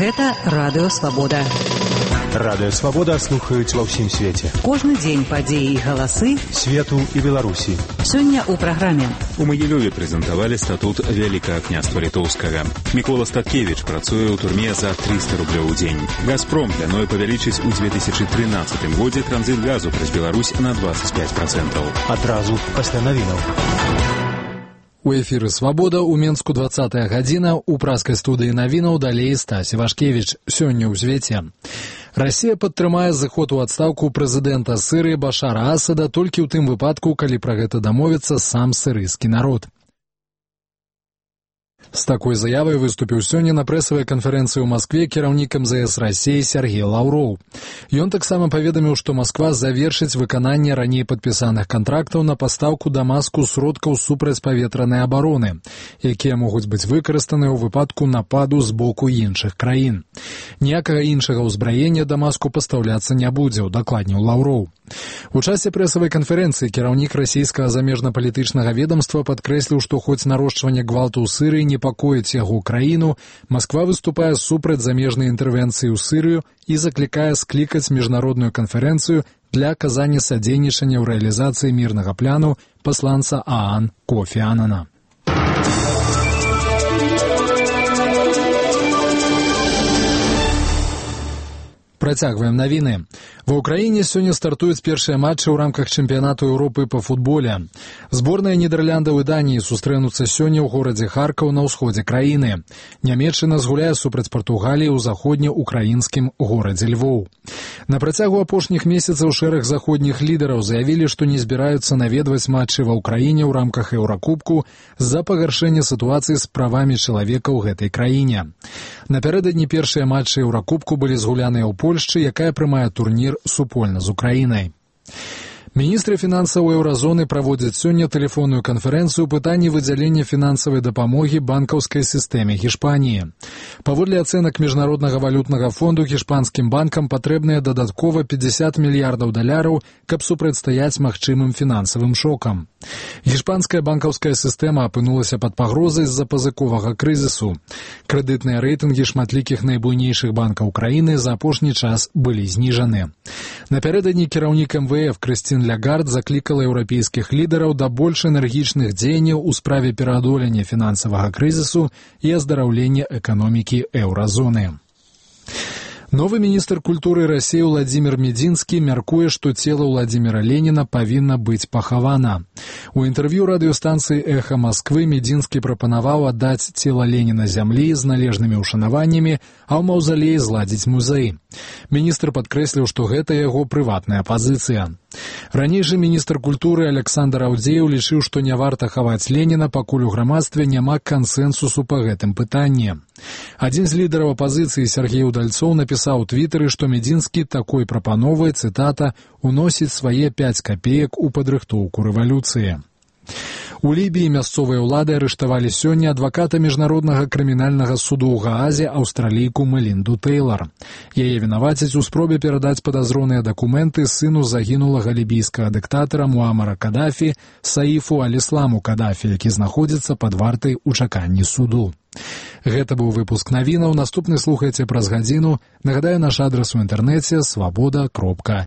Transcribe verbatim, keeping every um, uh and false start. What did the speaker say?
Гэта Радыё Свабода. Радыё Свабода слухаюць ва ўсім свеце. Кожны дзень падзеі і галасы свету і Беларусі. Сёння ў праграме. У Магілёве прэзентавалі статут Вялікага княства Літоўскага. Мікола Статкевіч працуе ў турме за трыста рублёў у дзень. Газпром плануе павялічыць у две тысячы трынаццатым годзе транзіт газу праз Беларусь на двадццаць пяць працэнтаў. Адразу пасля навінаў. У эфіры «Свабода» у Менску двадцатая гадзіна, у праскай студыі навінаў далей Стась Івашкевіч. Сёння ў звеце. Расія падтрымае зыход у адстаўку прэзідэнта Сырыі Башара Асада толькі ў тым выпадку, калі пра гэта дамовіцца сам сырыйскі народ. З такой заявай выступіў сёння на прэсавай канферэнцыі ў Маскве кіраўнік эм зэ эс Расіі Сергей Лаўроў. Ён таксама паведаміў, што Масква завершыць выкананне раней падпісаных кантрактаў на пастаўку Дамаску сродкаў супрацьпаветранай абароны, якія могуць быць выкарыстаныя ў выпадку нападу з боку іншых краін. Ніякага іншага ўзбраення Дамаску пастаўляцца не будзе, удакладніў Лаўроў. У часе прэсавай канферэнцыі кіраўнік расійскага замежна-палітычнага ведамства падкрэсліў, што хоць нарошчванне гвалту ў Сырыі непакоіць яго краіну, Масква выступае супраць замежнай інтэрвенцыі ў Сырыю і заклікае склікаць міжнародную канферэнцыю для аказання садзейнічання ў рэалізацыі мірнага пляну пасланца ААН Кофі Анана. Працягваем навіны. Ва ўкраіне сёння стартуюць першыя матчы ў рамках чэмпіянату Еўропы па футболе. Зборныя Нідерландаў і Даніі сустрэнуцца сёння ў горадзе Харкаў на ўсходзе краіны. Нямецчына згуляе супраць Партугаліі ў заходнеукраінскім горадзе Львоў. На працягу апошніх месяцаў шэраг заходніх лідараў заявілі, што не збіраюцца наведваць матчы ва ўкраіне ў рамках Еўракубку з-за пагаршэння сітуацыі з правамі чалавека ў гэтай краіне. Напярэдадні першыя матчы Еўракубку былі згуляныя ў Польшчы, якая прымае турнір супольна з Украінай. Міністры фінансаў еўразоны праводзяць сёння тэлефонную канферэнцыю пытанні выдзялення фінансавай дапамогі банкаўскай сістэме Гішпаніі. Паводле ацэнак Міжнароднага валютнага фонду гішпанскім банкам патрэбныя дадаткова пятьдесят мільярдаў даляраў, каб супрацьстаяць магчымым фінансавым шокам. Гішпанская банкаўская сістэма апынулася пад пагрозай з-за пазыковага крызісу. Крэдытныя рэйтынгі шматлікіх найбуйнейшых банкаў краіны за апошні час былі зніжаны. Напярэдадні кіраўнік эм вэ эф Крысцін Лягард заклікала еўрапейскіх лідараў да больш энергічных дзеянняў у справе пераадолення фінансавага крызісу і аздараўлення эканомікі еўразоны. Новы міністр культуры Расіі Владзімір Медзінскі мяркуе, што цела Владзіміра Леніна павінна быць пахавана. У інтэрв'ю радыёстанцыі «Эха Масквы» Медзінскі прапанаваў аддаць цела Леніна зямлі з належнымі ўшанаваннямі, а ў маўзалеі зладзіць музей. Міністр падкрэсліў, што гэта яго прыватная пазіцыя. Раней жа міністр культуры Александр Аўдзееў лічыў, што не варта хаваць Леніна, пакуль у грамадстве няма кансэнсусу па гэтым пытанні. Адзін з лідараў апазіцыі Сергей Удальцоў напісаў у твітары, што Медзінскі такой прапановай, цытата, «уносіць свае пяць капеек у падрыхтоўку рэвалюцыі». У Лібіі мясцовыя ўлады арыштавалі сёння адваката міжнароднага крымінальнага суду ў Гаазе аўстралійку Мелінду Тэйлар. Яе вінавацяць у спробе перадаць падазроныя дакументы сыну загінулага лібійскага дыктатара Муамара Кадафі Саіфу Аль-Ісламу Кадафі, які знаходзіцца пад вартай у чаканні суду. Гэта быў выпуск навінаў. Наступны слухайце праз гадзіну. Нагадаю, наш адрас у інтэрнэце свабода кропка